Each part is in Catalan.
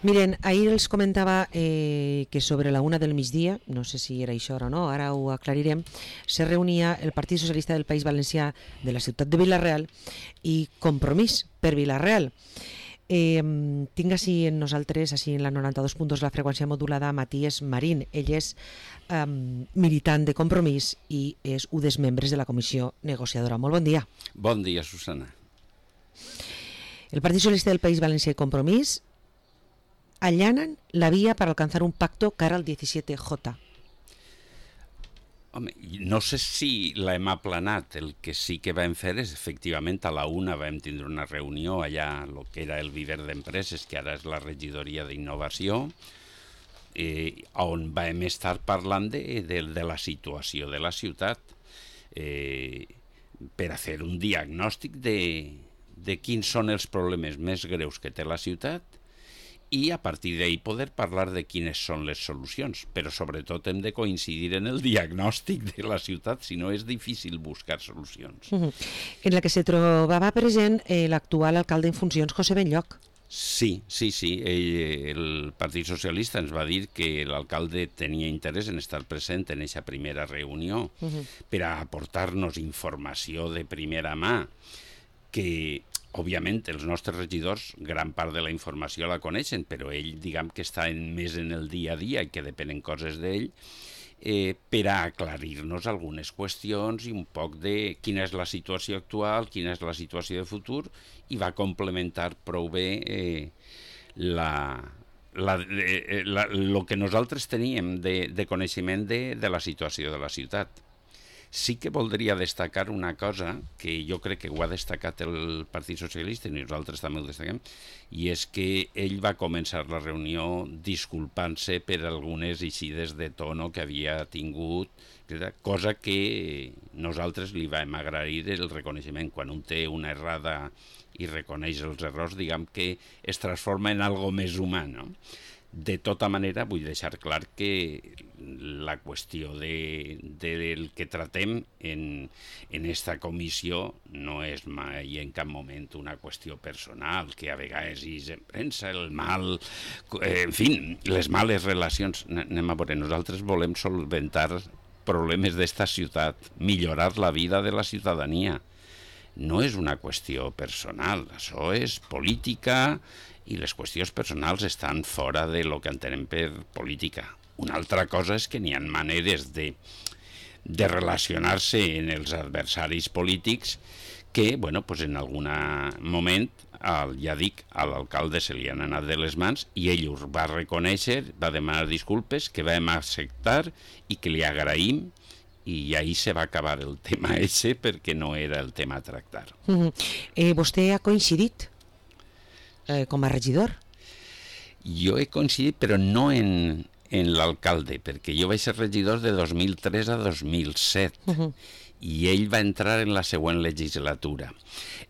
Miren, ahir els comentava que sobre la 1 del migdia, no sé si era això o no, ara ho aclarirem, se reunia el Partit Socialista del País Valencià de la ciutat de Vila-real i Compromís per Vila-real. Tinc així en nosaltres, així en la 92.2 la freqüència modulada, Matías Marín. Ell és militant de Compromís i és un dels membres de la comissió negociadora. Molt bon dia. Bon dia, Susana. El Partit Socialista del País Valencià i Compromís allanan la vía para alcanzar un pacto cara al 17J. Home, no sé si l'hem aplanat. El que sí que vam fer és, efectivament, a la 1 vam tindre una reunió allà, el que era el Viver d'Empreses, que ara és la regidoria d'Innovació, on vam estar parlant de la situació de la ciutat per a fer un diagnòstic de quins són els problemes més greus que té la ciutat i a partir d'ahí poder parlar de quines són les solucions, però sobretot hem de coincidir en el diagnòstic de la ciutat, si no és difícil buscar solucions. En la que se trobava present l'actual alcalde en funcions, José Benlloch. Sí. El Partit Socialista ens va dir que l'alcalde tenia interès en estar present en aquesta primera reunió per a aportar-nos informació de primera mà, que òbviament els nostres regidors gran part de la informació la coneixen, però ell diguem que està més en el dia a dia i que depenen coses d'ell, per a aclarir-nos algunes qüestions i un poc de quina és la situació actual, quina és la situació de futur, i va complementar prou bé el que nosaltres teníem de coneixement de la situació de la ciutat. Sí que voldria destacar una cosa que jo crec que ho ha destacat el Partit Socialista i nosaltres també ho destaquem, i és que ell va començar la reunió disculpant-se per algunes eixides de tono que havia tingut, cosa que nosaltres li vam agrair el reconeixement. Quan un té una errada i reconeix els errors, diguem que es transforma en algo més humà, no? De tota manera, vull deixar clar que la qüestió del que tratem en esta comissió no és mai en cap moment una qüestió personal, que a vegades és en premsa, el mal, en fi, les males relacions. Anem a veure, nosaltres volem solventar problemes d'esta ciutat, millorar la vida de la ciutadania. No és una qüestió personal, això és política, i les qüestions personals estan fora de lo que entenem per política. Una altra cosa és que n'hi ha maneres de relacionar-se en els adversaris polítics que, bueno, pues en algun moment, ja dic, a l'alcalde se li han anat de les mans i ell ho va reconèixer, va demanar disculpes, que vam acceptar i que li agraïm, i ahí se va acabar el tema ese perquè no era el tema a tractar. Vostè ha coincidit com a regidor? Jo he coincidit, però no en l'alcalde, perquè jo vaig ser regidor de 2003 a 2007 i ell va entrar en la següent legislatura.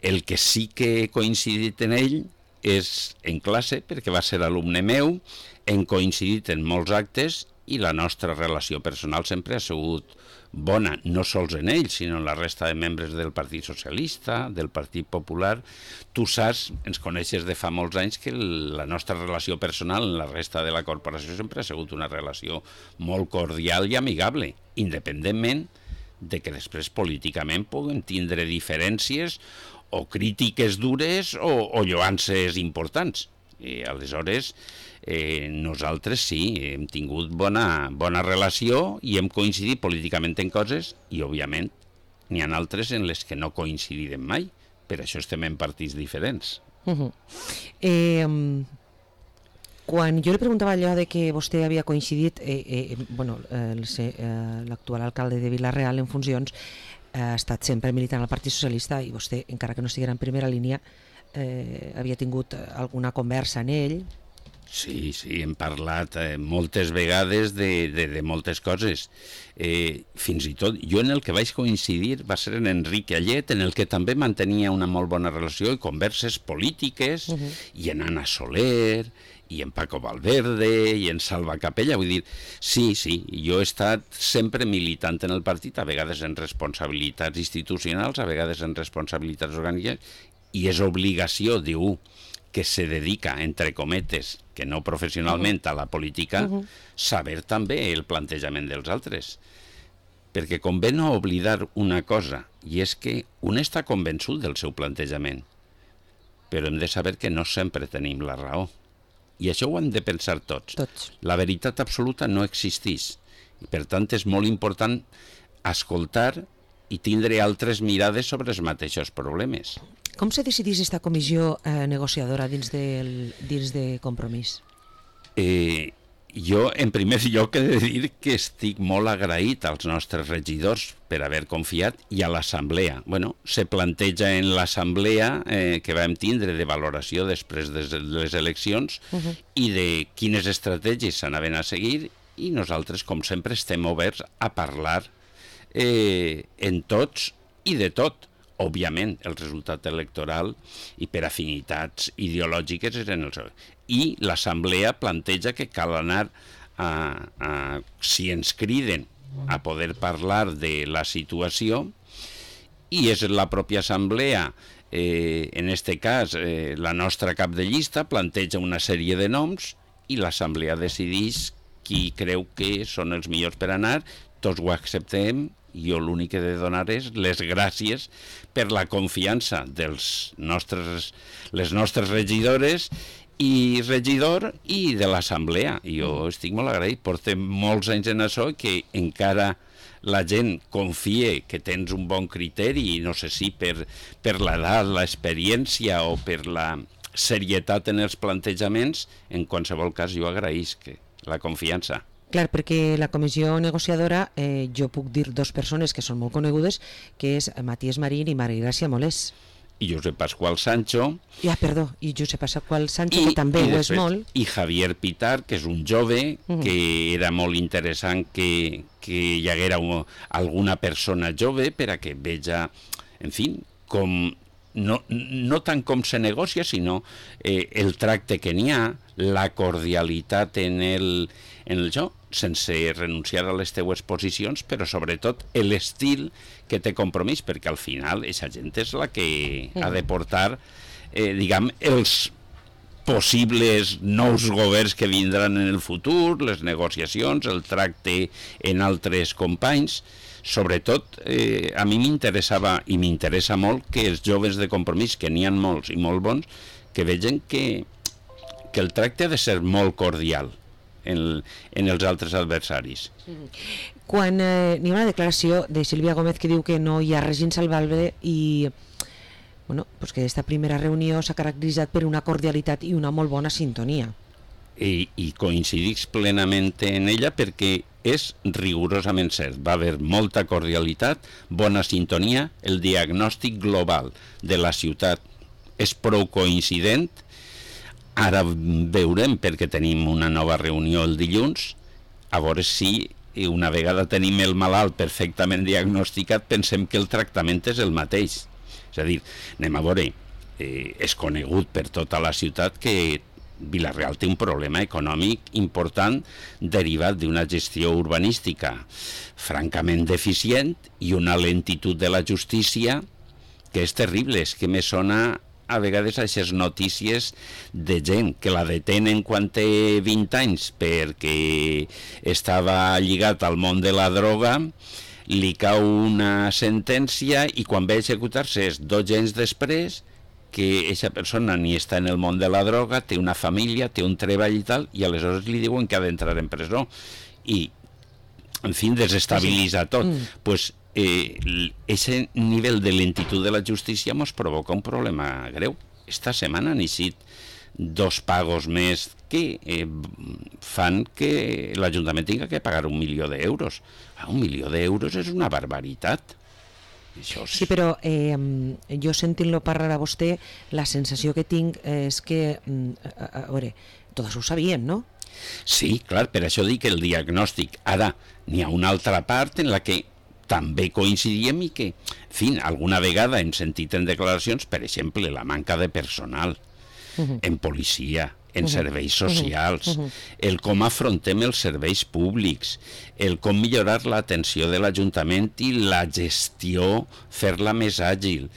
El que sí que he coincidit en ell és en classe, perquè va ser alumne meu, hem coincidit en molts actes i la nostra relació personal sempre ha sigut bona, no sols en ell, sinó en la resta de membres del Partit Socialista, del Partit Popular. Tu saps, ens coneixes de fa molts anys, que la nostra relació personal en la resta de la corporació sempre ha sigut una relació molt cordial i amigable, independentment de que després políticament puguem tindre diferències o crítiques dures o lloances importants. I aleshores nosaltres sí, hem tingut bona relació i hem coincidit políticament en coses i òbviament n'hi ha altres en les que no coincidirem mai, per això estem en partits diferents. Quan jo li preguntava allò de que vostè havia coincidit, l'actual alcalde de Vila-real en funcions ha estat sempre militant al Partit Socialista i vostè, encara que no estiguera en primera línia, havia tingut alguna conversa en ell. Sí, hem parlat moltes vegades de moltes coses. Fins i tot, jo en el que vaig coincidir va ser en Enric Allet, en el que també mantenia una molt bona relació i converses polítiques, i en Anna Soler, i en Paco Valverde, i en Salva Capella. Vull dir, sí, jo he estat sempre militant en el partit, a vegades en responsabilitats institucionals, a vegades en responsabilitats orgàniques, i és obligació, diu, que se dedica, entre cometes, que no professionalment a la política, saber també el plantejament dels altres. Perquè convé no oblidar una cosa, i és que un està convençut del seu plantejament, però hem de saber que no sempre tenim la raó. I això ho hem de pensar tots. La veritat absoluta no existeix. I per tant és molt important escoltar i tindre altres mirades sobre els mateixos problemes. Com se decidís esta comissió negociadora dins de Compromís? Jo, en primer lloc, he de dir que estic molt agraït als nostres regidors per haver confiat i a l'assemblea. Bueno, se planteja en l'assemblea que vam tindre de valoració després de les eleccions i de quines estratègies s'anaven a seguir, i nosaltres, com sempre, estem oberts a parlar en tots i de tot. Òbviament, el resultat electoral i per afinitats ideològiques eren els... I l'assemblea planteja que cal anar si ens criden a poder parlar de la situació, i és la pròpia assemblea, en este cas la nostra cap de llista planteja una sèrie de noms i l'assemblea decideix qui creu que són els millors per anar, tots ho acceptem. Jo l'únic que he de donar és les gràcies per la confiança dels les nostres regidores i regidor i de l'assemblea. Jo estic molt agraït, portem molts anys en això, que encara la gent confie que tens un bon criteri, i no sé si per l'edat, l'experiència o per la serietat en els plantejaments. En qualsevol cas, jo agraïsc la confiança. Clar, perquè la comissió negociadora, jo puc dir dues persones que són molt conegudes, que és Matías Marín i Maria Gràcia Molés. I Josep Pasqual Sancho. I Josep Pasqual Sancho, que també ho és molt. I Javier Pitar, que és un jove, que era molt interessant que hi haguera alguna persona jove per a que veja, en fi, com... No tant com se negocia, sinó el tracte que n'hi ha, la cordialitat en el joc, sense renunciar a les teues posicions, però sobretot l'estil que té Compromís, perquè al final aquesta gent és la que ha de portar, diguem, els possibles nous governs que vindran en el futur, les negociacions, el tracte en altres companys. Sobretot, a mi m'interessava i m'interessa molt que els joves de Compromís, que n'hi ha molts i molt bons, que vegen que el tracte ha de ser molt cordial en els altres adversaris. Quan n'hi ha una declaració de Sílvia Gómez que diu que no hi ha res insalvable i que aquesta primera reunió s'ha caracteritzat per una cordialitat i una molt bona sintonia. I coincidix plenament en ella perquè és rigorosament cert. Va haver molta cordialitat, bona sintonia, el diagnòstic global de la ciutat és prou coincident. Ara veurem, perquè tenim una nova reunió el dilluns, a veure si una vegada tenim el malalt perfectament diagnosticat pensem que el tractament és el mateix. És a dir, anem a veure, és conegut per tota la ciutat que Vila-real té un problema econòmic important derivat d'una gestió urbanística francament deficient i una lentitud de la justícia que és terrible. És que me sona a vegades aquestes notícies de gent que la detenen quan té 20 anys perquè estava lligat al món de la droga, li cau una sentència i quan ve a executar-se és 2 anys després que aquesta persona ni està en el món de la droga, té una família, té un treball i tal, i aleshores li diuen que ha d'entrar en presó. I, en fi, desestabilitza tot. Pues ese nivell de lentitud de la justícia ens provoca un problema greu. Esta setmana han eixit 2 pagos més que fan que l'Ajuntament tingui que pagar 1 milió d'euros. 1 milió d'euros és una barbaritat. Sí, però jo sentint-lo parlar a vostè, la sensació que tinc és que, a veure, tot això ho sabíem, no? Sí, clar, per això dic el diagnòstic. Ara, n'hi ha una altra part en la que també coincidíem i que, en fi, alguna vegada hem sentit en declaracions, per exemple, la manca de personal en policia, en serveis socials, el com afrontem els serveis públics, el com millorar l'atenció de l'Ajuntament i la gestió, fer-la més àgil.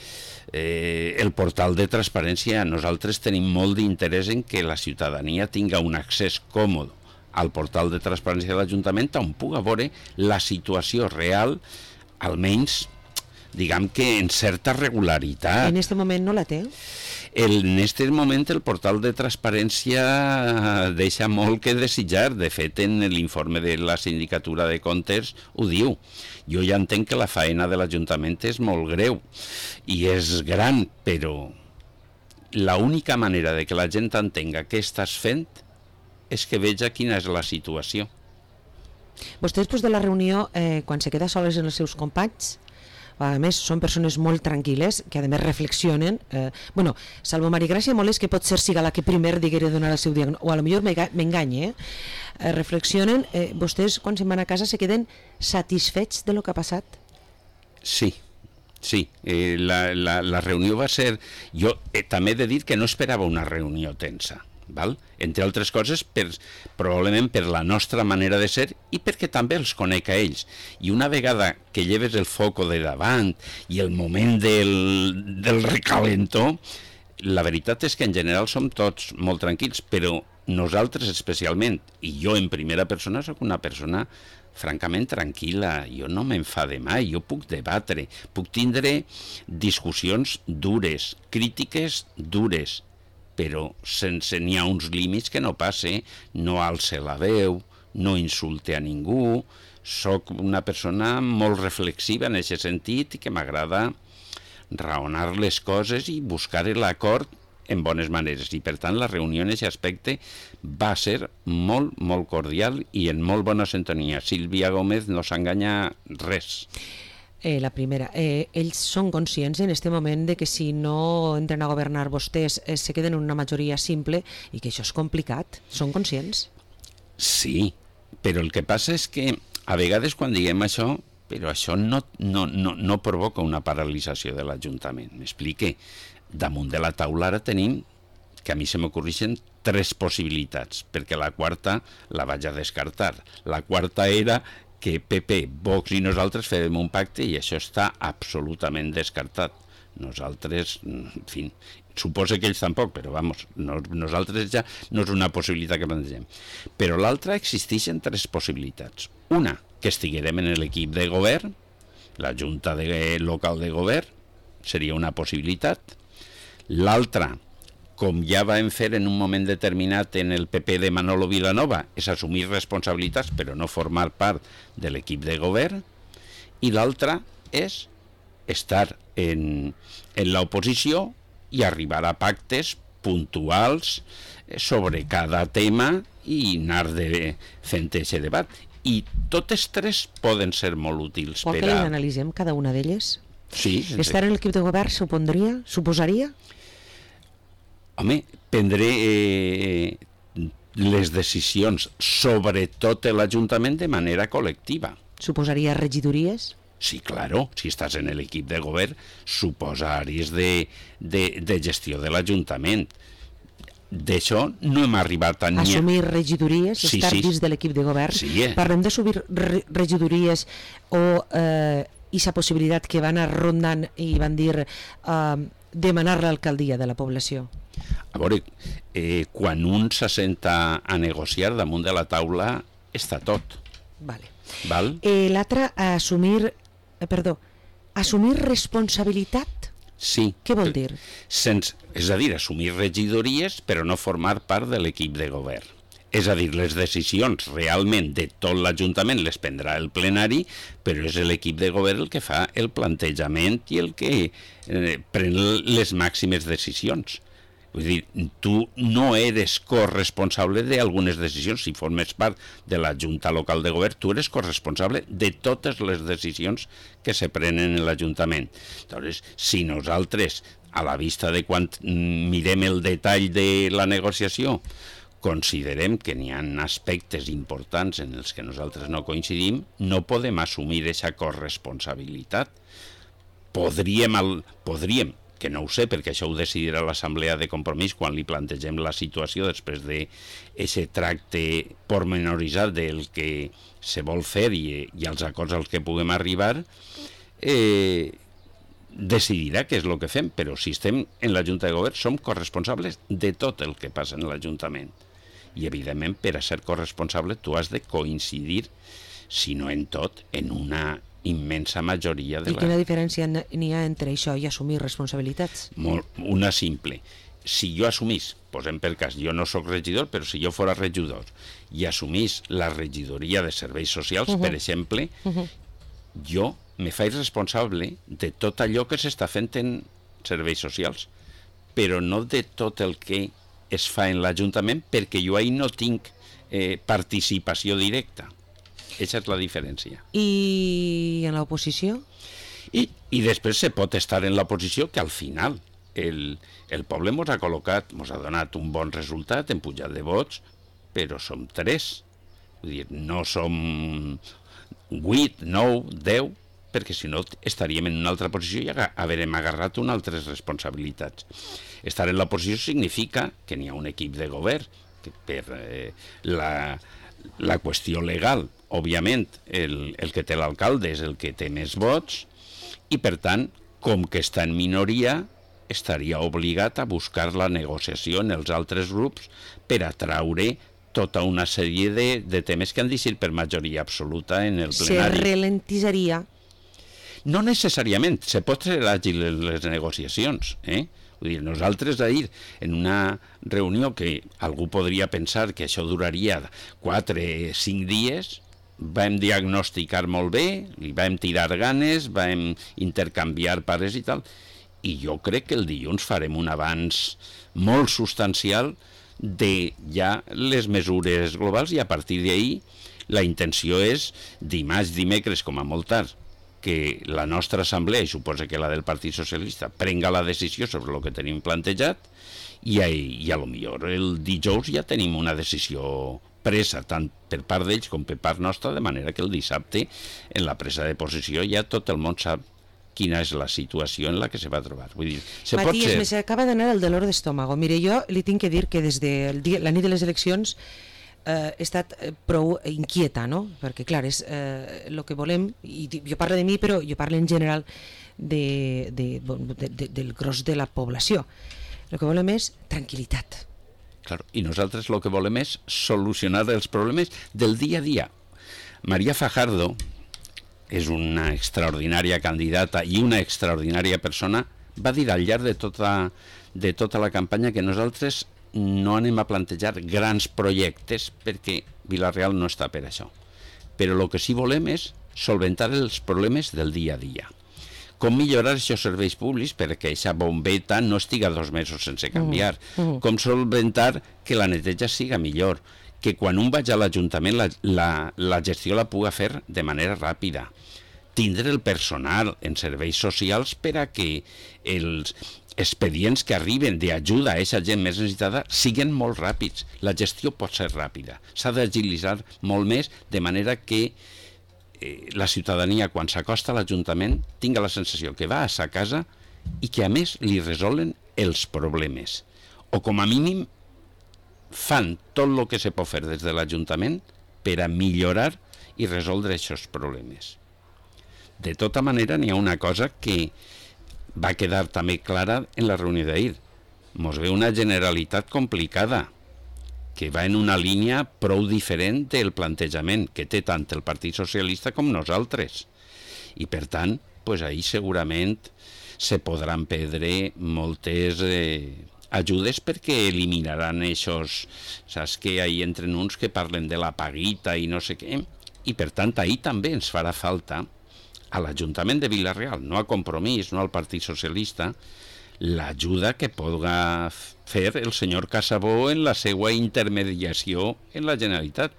el portal de transparència. Nosaltres tenim molt d'interès en que la ciutadania tinga un accés còmode al portal de transparència de l'Ajuntament on puga veure la situació real, almenys, diguem que en certa regularitat. En aquest moment no la té? En aquest moment el portal de transparència deixa molt que desitjar. De fet, en l'informe de la Sindicatura de Comptes ho diu. Jo ja entenc que la faena de l'Ajuntament és molt greu i és gran, però l'única manera de que la gent entenga què estàs fent és que veja quina és la situació. Vostè, després de la reunió, quan se queda soles en els seus companys, a més, són persones molt tranquil·les, que a més reflexionen. Salvo Marigràcia Molés, que pot ser siga la que primer diguera donar el seu diagnòstic, o a lo millor m'enganye, reflexionen. Vostès, quan se'n van a casa, se queden satisfets de lo que ha passat? Sí. La reunió va ser... Jo també he de dir que no esperava una reunió tensa. Val? Entre altres coses, probablement per la nostra manera de ser i perquè també els conec a ells. I una vegada que lleves el foco de davant i el moment del recalentó, la veritat és que en general som tots molt tranquils, però nosaltres especialment, i jo en primera persona soc una persona francament tranquil·la, jo no m'enfade mai, jo puc debatre, puc tindre discussions dures, crítiques dures, però sense n'hi ha uns límits que no passe, no alce la veu, no insulte a ningú, soc una persona molt reflexiva en aquest sentit i que m'agrada raonar les coses i buscar l'acord en bones maneres. I per tant la reunió en aquest aspecte va ser molt, molt cordial i en molt bona sintonia. Sílvia Gómez no s'enganya res. La primera, ells són conscients en aquest moment de que si no entren a governar vostès se queden en una majoria simple i que això és complicat. Són conscients? Sí, però el que passa és que a vegades quan diguem això, però això no provoca una paralització de l'Ajuntament. M'explique. Damunt de la taula ara tenim, que a mi se m'ocorreixen 3 possibilitats, perquè la quarta la vaig a descartar. La quarta era que PP, Vox i nosaltres fem un pacte i això està absolutament descartat. Nosaltres, en fi, suposo que ells tampoc, però vamos, nosaltres ja no és una possibilitat que plantegem. Però l'altra, existeixen 3 possibilitats. Una, que estiguerem en l'equip de govern, la Junta local de govern, seria una possibilitat. L'altra, com ja vam fer en un moment determinat en el PP de Manolo Vilanova, és assumir responsabilitats però no formar part de l'equip de govern, i l'altra és estar en l'oposició i arribar a pactes puntuals sobre cada tema i anar fent aquest debat. I totes 3 poden ser molt útils. Vol que les analitzem cada una d'elles? Sí. Estar en l'equip de govern suposaria? Home, prendré les decisions, sobretot l'Ajuntament, de manera col·lectiva. Suposaria regidories? Sí, claro, si estàs en l'equip de govern, suposa àrees de gestió de l'Ajuntament. D'això no hem arribat a... Assumir regidories, estar dins de l'equip de govern. Sí, Parlem d'assumir regidories o aquesta possibilitat que van anar rondant i van dir demanar l'alcaldia de la població. A veure, quan un s'assenta a negociar damunt de la taula està tot. Vale. Val? L'altre, assumir responsabilitat? Sí. Què vol dir? És a dir, assumir regidories però no formar part de l'equip de govern. És a dir, les decisions realment de tot l'Ajuntament les prendrà el plenari, però és l'equip de govern el que fa el plantejament i el que pren les màximes decisions. Vull dir, tu no eres corresponsable d'algunes decisions. Si formes part de la Junta Local de Govern, tu eres corresponsable de totes les decisions que se prenen en l'Ajuntament. Llavors, si nosaltres, a la vista de quan mirem el detall de la negociació, considerem que n'hi ha aspectes importants en els que nosaltres no coincidim, no podem assumir aquesta corresponsabilitat. Podríem, que no ho sé, perquè això ho decidirà l'Assemblea de Compromís quan li plantegem la situació després d'aquest tracte pormenoritzat del que se vol fer i els acords als que puguem arribar, decidirà què és el que fem, però si estem en la Junta de Govern som corresponsables de tot el que passa en l'Ajuntament. I, evidentment, per a ser corresponsable tu has de coincidir, si no en tot, en una immensa majoria de I quina diferència n'hi ha entre això i assumir responsabilitats? Una simple. Si jo assumís, posem per cas, jo no sóc regidor, però si jo fora regidor i assumís la regidoria de serveis socials, per exemple, jo me faig responsable de tot allò que s'està fent en serveis socials, però no de tot el que es fa en l'Ajuntament, perquè jo ahí no tinc participació directa. Aquesta és la diferència. I en l'oposició? I després se pot estar en l'oposició, que al final el poble ens ha col·locat, ens ha donat un bon resultat en pujat de vots, però som 3. Vull dir, no som 8, 9, 10, perquè si no estaríem en una altra posició i haurem agarrat unes altres responsabilitats. Estar en l'oposició significa que n'hi ha un equip de govern, que per la qüestió legal, òbviament, el que té l'alcalde és el que té més vots, i per tant, com que està en minoria, estaria obligat a buscar la negociació en els altres grups per atraure tota una sèrie de temes que han decidit per majoria absoluta en el plenari. Se ralentitzaria? No necessàriament, se pot ser àgil en les negociacions. Vull dir, nosaltres ahir, en una reunió que algú podria pensar que això duraria 4 o 5 dies, vam diagnosticar molt bé, li vam tirar ganes, vam intercanviar pares i tal, i jo crec que el dilluns farem un avanç molt substancial de ja les mesures globals, i a partir d'ahir la intenció és dimarts, dimecres, com a molt tard, que la nostra assemblea, i suposa que la del Partit Socialista, prenga la decisió sobre el que tenim plantejat, i a lo millor el dijous ja tenim una decisió presa, tant per part d'ells com per part nostra, de manera que el dissabte, en la presa de posició, ja tot el món sap quina és la situació en la que se va trobar. Vull dir, Matías, me s'acaba d'anar el dolor d'estómago. Mire, jo li tinc que dir que des de la nit de les eleccions he estat prou inquieta, no? Perquè, clar, és el que volem, i jo parlo de mi, però jo parlo en general del gros de la població. El que volem és tranquil·litat. Claro, i nosaltres el que volem és solucionar els problemes del dia a dia. María Fajardo és una extraordinària candidata i una extraordinària persona. Va dir al llarg de tota la campanya que nosaltres no anem a plantejar grans projectes perquè Vila-real no està per això. Però el que sí volem és solventar els problemes del dia a dia. Com millorar aquests serveis públics perquè aquesta bombeta no estiga 2 mesos sense canviar. Com solventar que la neteja siga millor. Que quan un vaig a l'Ajuntament la gestió la puga fer de manera ràpida. Tindre el personal en serveis socials per a que els expedients que arriben d'ajuda a aquesta gent més necessitada siguin molt ràpids. La gestió pot ser ràpida. S'ha d'agilitzar molt més, de manera que la ciutadania, quan s'acosta a l'Ajuntament, tinga la sensació que va a sa casa i que, a més, li resolen els problemes. O, com a mínim, fan tot el que se pot fer des de l'Ajuntament per a millorar i resoldre aquests problemes. De tota manera, n'hi ha una cosa que va quedar també clara en la reunió d'ahir. Mos ve una Generalitat complicada, que va en una línia prou diferent del plantejament que té tant el Partit Socialista com nosaltres. I, per tant, ahir segurament se podran perdre moltes ajudes perquè eliminaran aquests... Saps que ahir entren uns que parlen de la paguita i no sé què, i per tant ahir també ens farà falta a l'Ajuntament de Vila-real, no a Compromís, no al Partit Socialista, l'ajuda que podrà fer el senyor Casabó en la seva intermediació en la Generalitat,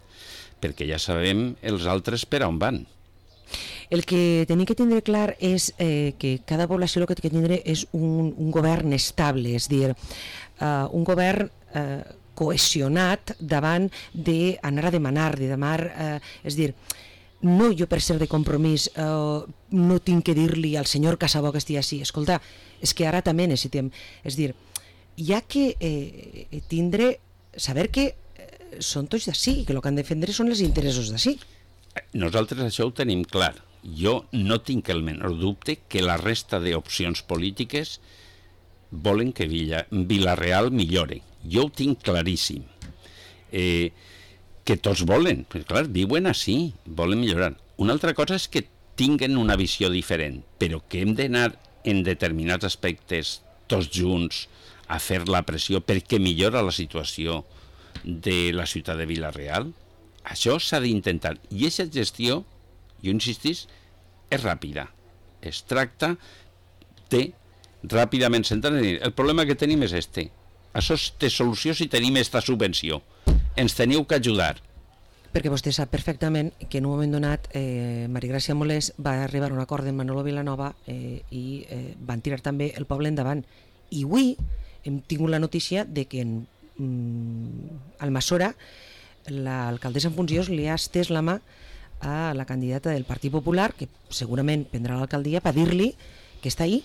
perquè ja sabem els altres per on van. El que tenim que tindre clar és que cada població el que té que tindre és un govern estable, és dir, un govern cohesionat davant d'anar a demanar, és dir, no jo per ser de Compromís no tinc que dir-li al senyor Casabó que estigui així, escolta, és que ara també necessitem, és dir, hi ha que saber que són tots d'ací i que el que han de defendre són els interessos d'ací. Nosaltres això ho tenim clar, jo no tinc el menor dubte que la resta d'opcions polítiques volen que Vila-real millore. Jo ho tinc claríssim. Que tots volen, però clar, viuen així, volen millorar. Una altra cosa és que tinguen una visió diferent, però que hem d'anar en determinats aspectes tots junts a fer la pressió perquè millora la situació de la ciutat de Vila-real. Això s'ha d'intentar. I aquesta gestió, jo insistís, és ràpida. Es tracta de ràpidament sentar i dir, el problema que tenim és este. Això té solució si tenim esta subvenció. Ens teniu que ajudar. Perquè vostè sap perfectament que en un moment donat Maria Gràcia Molés va arribar a un acord amb Manolo Vilanova i van tirar també el poble endavant. I avui hem tingut la notícia de que en Almassora l'alcaldessa en funcions li ha estès la mà a la candidata del Partit Popular, que segurament prendrà l'alcaldia, per dir-li que està ahí.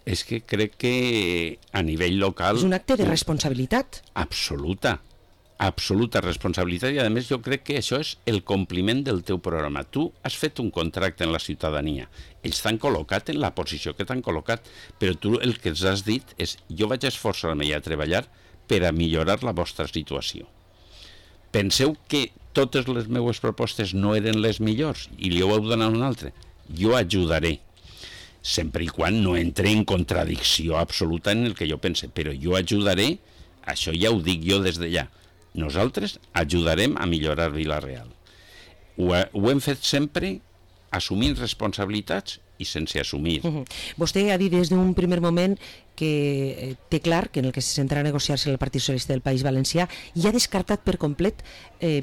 És que crec que a nivell local... És un acte de responsabilitat. Absoluta responsabilitat, i a més jo crec que això és el compliment del teu programa. Tu has fet un contracte en la ciutadania, ells t'han col·locat en la posició que t'han col·locat, però tu el que ens has dit és jo vaig esforçar-me a treballar per a millorar la vostra situació. Penseu que totes les meves propostes no eren les millors i li heu donat una altra. Jo ajudaré, sempre i quan no entre en contradicció absoluta en el que jo pense, però jo ajudaré, això ja ho dic jo des d'allà. Nosaltres ajudarem a millorar Vila-real. Ho hem fet sempre assumint responsabilitats i sense assumir. Vostè ha dit des d'un primer moment que té clar que en el que se centra a negociar-se el Partit Socialista del País Valencià i ha descartat per complet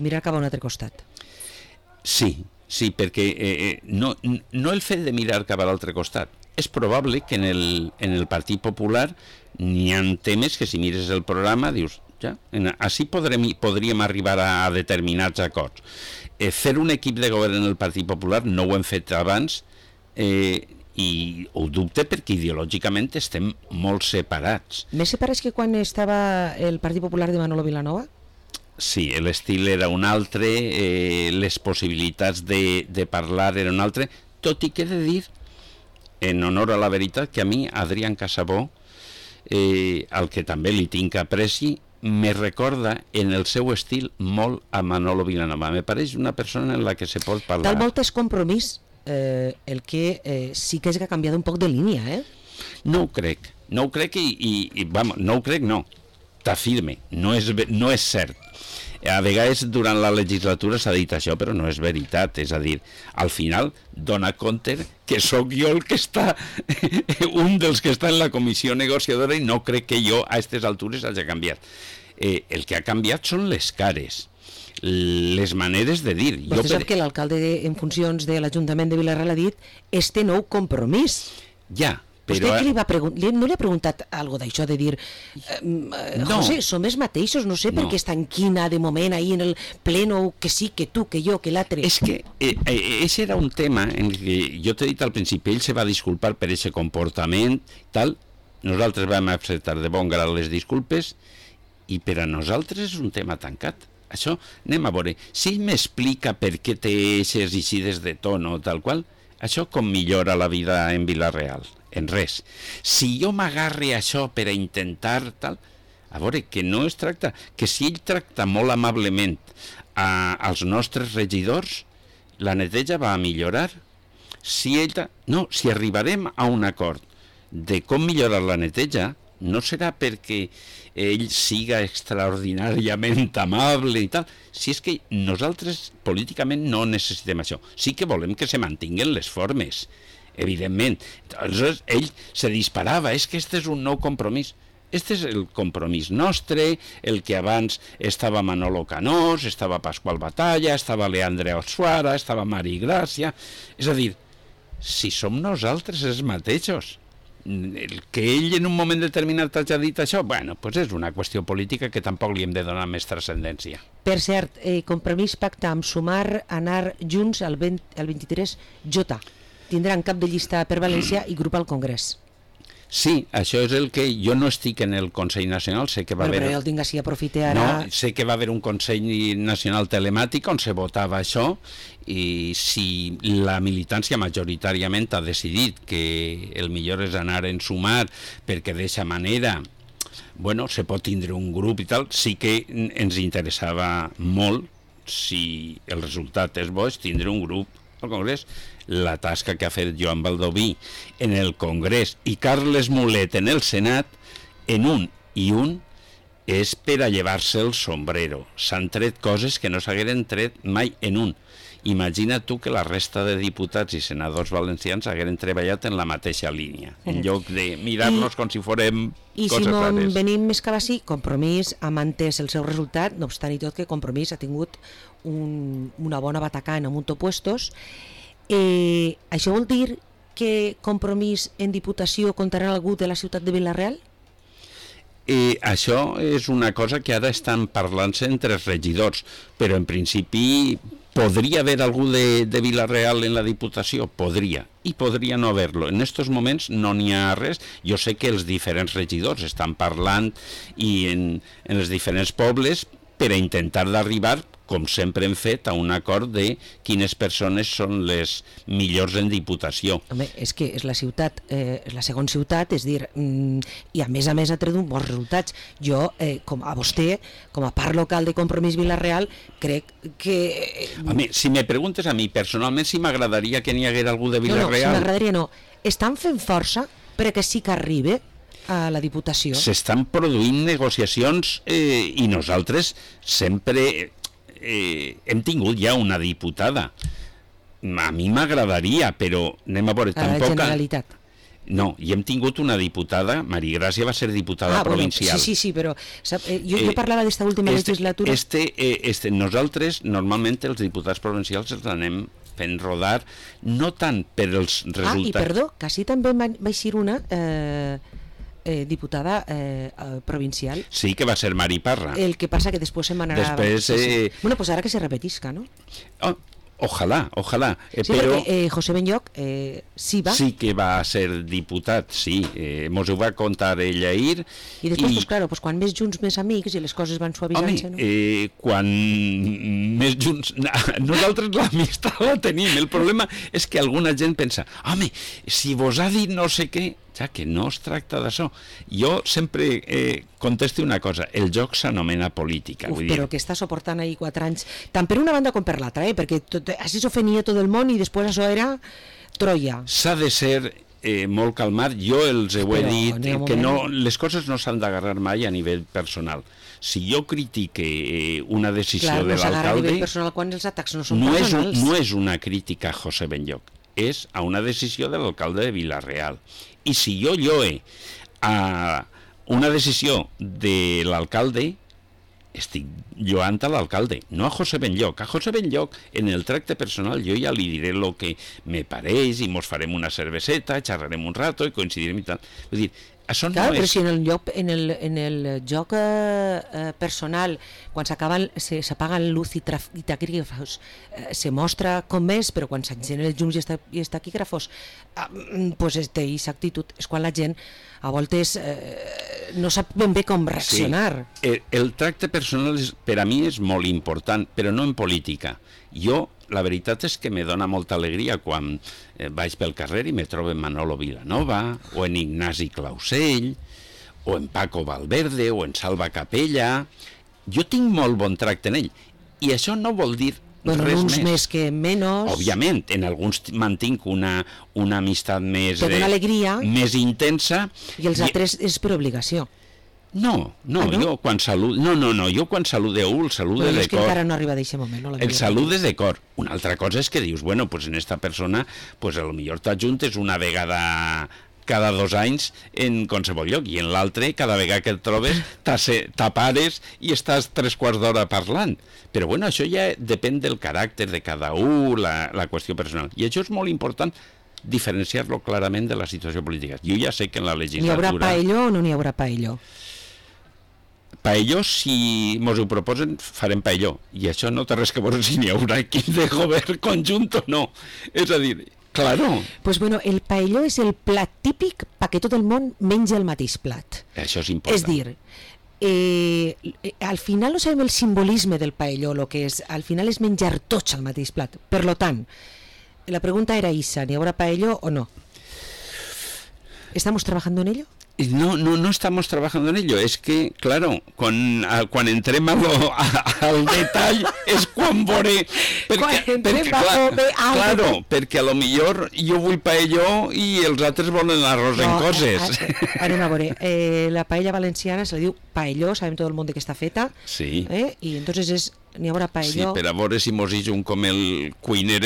mirar cap a un altre costat. Sí, perquè no el fet de mirar cap a l'altre costat. És probable que en el Partit Popular n'hi ha temes que si mires el programa dius ja, així podríem arribar a determinats acords. Fer un equip de govern en el Partit Popular no ho hem fet abans i ho dubte perquè ideològicament estem molt separats. Més separats que quan estava el Partit Popular de Manolo Vilanova? Sí, l'estil era un altre, les possibilitats de parlar eren un altre, tot i que he de dir, en honor a la veritat, que a mi Adrián Casabó, al que també li tinc apreci, me recorda en el seu estil molt a Manolo Vilanova. Me pareix una persona en la que se pot parlar. Tal volta és compromís el que sí que és que ha canviat un poc de línia, No ho crec i vamos, no ho crec, no. T'afirme, no és cert. A vegades durant la legislatura s'ha dit això, però no és veritat. És a dir, al final dona compte que sóc jo el que està, un dels que està en la comissió negociadora, i no crec que jo a aquestes altures hagi canviat. El que ha canviat són les cares, les maneres de dir. Vostè sap que l'alcalde en funcions de l'Ajuntament de Vila-real ha dit este nou compromís. Ja, vostè què li va preguntar? No li ha preguntat algo d'això, de dir José, som els mateixos, no sé per què està en quina de moment ahí en el pleno, que sí, que tu, que jo, que l'altre. És que ese era un tema en què jo t'he dit al principi, ell se va disculpar per aquest comportament, tal, nosaltres vam acceptar de bon grat les disculpes i per a nosaltres és un tema tancat. Això, anem a veure, si ell m'explica per què té eixes eixides de tono, tal qual, això com millora la vida en Vila-real? En res. Si jo m'agarre a això per a intentar tal, a veure, que no es tracta, que si ell tracta molt amablement als nostres regidors, la neteja va a millorar. Si arribarem a un acord de com millorar la neteja, no serà perquè ell siga extraordinàriament amable i tal, si és que nosaltres políticament no necessitem això. Sí que volem que se mantinguen les formes, evidentment. Aleshores, ell se disparava, és que este és un nou compromís. Este és el compromís nostre, el que abans estava Manolo Canós, estava Pasqual Batalla, estava Leandre Ossuara, estava Mari Gràcia. És a dir, si som nosaltres els mateixos, el que ell en un moment determinat hagi dit això, bueno, pues és una qüestió política que tampoc li hem de donar més transcendència. Per cert, compromís pacte amb Sumar, anar junts al 23J. Tindran cap de llista per València i grup al Congrés. Sí, això és el que... Jo no estic en el Consell Nacional, sé que va haver... Però jo el tinc així, aprofite ara... No, sé que va haver un Consell Nacional telemàtic on se votava això, i si la militància majoritàriament ha decidit que el millor és anar en sumar, perquè d'aquesta manera, bueno, se pot tindre un grup i tal, sí que ens interessava molt, si el resultat és bo, és tindre un grup al Congrés. La tasca que ha fet Joan Baldoví en el Congrés i Carles Mulet en el Senat, en un i un, és per a llevar-se el sombrero. S'han tret coses que no s'hagueren tret mai en un. Imagina tu que la resta de diputats i senadors valencians hagueren treballat en la mateixa línia, en lloc de mirar-nos com si fórem coses rares. I si venim més que va sí, Compromís ha mantès el seu resultat, no obstant i tot que Compromís ha tingut una bona batacà en Amunto Puestos. Això vol dir que Compromís en Diputació comptarà algú de la ciutat de Vila-real? Això és una cosa que ara estan parlant-se entre els regidors, però en principi podria haver algú de Vila-real en la Diputació? Podria, i podria no haver-lo. En aquests moments no n'hi ha res. Jo sé que els diferents regidors estan parlant i en els diferents pobles per a intentar d'arribar, com sempre hem fet, a un acord de quines persones són les millors en Diputació. Home, és que és la ciutat, és la segona ciutat, és dir, i a més ha tret uns bons resultats. Jo, com a vostè, com a part local de Compromís Vila-real, crec que... Home, si me preguntes a mi, personalment, si m'agradaria que n'hi hagués algú de Vila-real... No, si m'agradaria no. Estan fent força perquè sí que arribi a la Diputació. S'estan produint negociacions i nosaltres sempre... hem tingut ja una diputada. A mi m'agradaria, però anem a veure, tampoc... A la Generalitat. No, i hem tingut una diputada, Maria Gràcia va ser diputada provincial. Bueno, sí, però jo parlava d'esta última legislatura. Nosaltres, normalment, els diputats provincials els anem fent rodar, no tant per els resultats... I perdó, que sí també va eixir una... diputada provincial. Sí, que va ser Mari Parra. El que passa que després se'n anarà... Després... Bueno, pues ara que se repetisca, no? Ojalà. Sí, però... perquè José Benlloch sí va. Sí que va ser diputat, sí. Mos ho va contar ell ahir. I després, pues, claro, pues, quan més junts, més amics, i les coses van suavitzant-se, no? Quan més junts... Nosaltres l'amistat la tenim. El problema és que alguna gent pensa, home, si vos ha dit no sé què... Ja que no es tracta d'això. Jo sempre contesto una cosa, el joc s'anomena política. Però que està suportant ahir 4 anys, tant per una banda com per l'altra, perquè així s'ofenia tot el món i després això era Troia. S'ha de ser molt calmat. Jo els he dit que les coses no s'han d'agarrar mai a nivell personal. Si jo critique una decisió de l'alcalde... Clar, no s'agarra a nivell personal quan els atacs no són personals. No és una crítica a José Benlloch, és a una decisió de l'alcalde de Vila-real. I si jo lloe a una decisió de l'alcalde, estic lloant a l'alcalde, no a José Benlloch. A José Benlloch, en el tracte personal, jo ja li diré el que me pareix i mos farem una cerveseta, xerrarem un rato i coincidirem i tal. Vull dir, això clar, no però és... si en el joc personal, quan s'apaguen luz i taquígrafos, se mostra com és, però quan s'encenen els llums i els taquígrafos, pues té aquesta actitud. És quan la gent a voltes no sap ben bé com reaccionar. Sí. El tracte personal per a mi és molt important, però no en política. Jo, la veritat és que me dona molta alegria quan vaig pel carrer i me trobo en Manolo Vilanova, o en Ignasi Clausell, o en Paco Valverde, o en Salva Capella. Jo tinc molt bon tracte en ell, i això no vol dir res uns més que menys. Òbviament, en alguns mantinc una amistat més... Que dona alegria. Més intensa. I els altres és per obligació. No, jo quan saludo... No, jo quan saludeu el salude de cor. És que encara no arriba d'aquest moment, no? El salude de cor. Una altra cosa és que dius, bueno, pues en esta persona, pues a lo millor t'ajuntes una vegada cada 2 anys en qualsevol lloc, i en l'altre, cada vegada que et trobes, t'apares i estàs 3/4 d'hora parlant. Però bueno, això ja depèn del caràcter de cada un, la qüestió personal. I això és molt important, diferenciar-lo clarament de la situació política. Jo ja sé que en la legislatura... N'hi haurà paelló o no n'hi haurà paelló? Paelló, si mos ho proposen, farem paelló. I això no té res que veure si n'hi haurà equip de govern conjunt o no. És a dir, Claro. Pues bueno, el paelló és el plat típic perquè tot el món menja el mateix plat. Això és important. És dir, al final no sabem el simbolisme del paelló, lo que és, al final és menjar tots al mateix plat. Per lo tant, la pregunta era Isa, ¿ni habrá paelló o no? ¿Estamos trabajando en ello? No estamos trabajando en ello. Es que, claro, quan entrem al detall és quan veuré... Claro, perquè a lo millor jo vull paelló i els altres volen arròs en coses. Anem a veure. La paella valenciana se li diu paelló, sabem tot el món de què està feta. Sí. I entonces és... N'hi haurà paelló. Sí, per a veure si mos un com el cuiner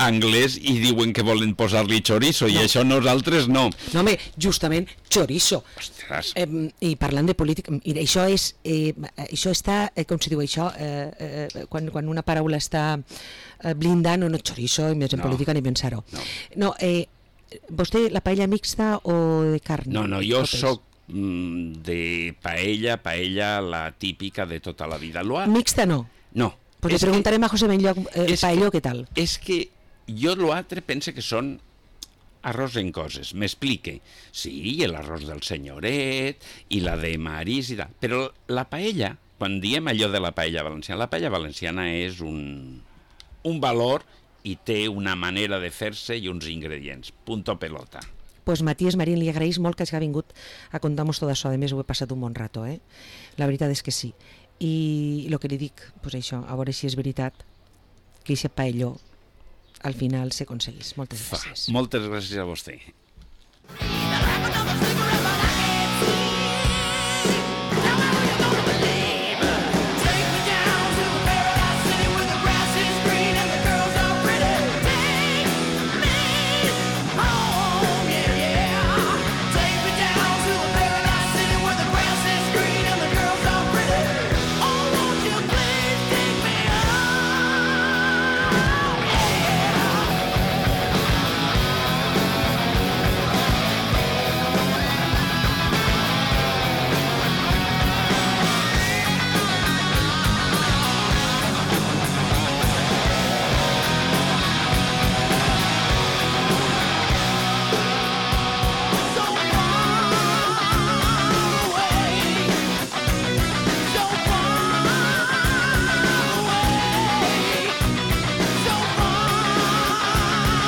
anglès i diuen que volen posar-li chorizo i això nosaltres no. No, home, justament chorizo. Ostres. I parlant de política, això és, això està, com se diu això, quan una paraula està blindant, no chorizo, i més en política ni pensar-ho. No, vostè, la paella mixta o de carn? No, jo soc de paella la típica de tota la vida. Mixta no? No. Pues le preguntarem a José Benlloc el paelló què tal. És que jo l'altre pense que són arròs en coses. M'explique. Sí, l'arròs del senyoret i la de marís i tal. Però la paella, quan diem allò de la paella valenciana és un valor i té una manera de fer-se i uns ingredients. Punto pelota. Pues Matías Marín, li agraeix molt que hagi vingut a contar-nos tot això. A més, ho he passat un bon rato, La veritat és que sí. I el que li dic, pues això, a veure si és veritat que aquest paelló al final s'aconseguís. Moltes gràcies. Moltes gràcies a vostè.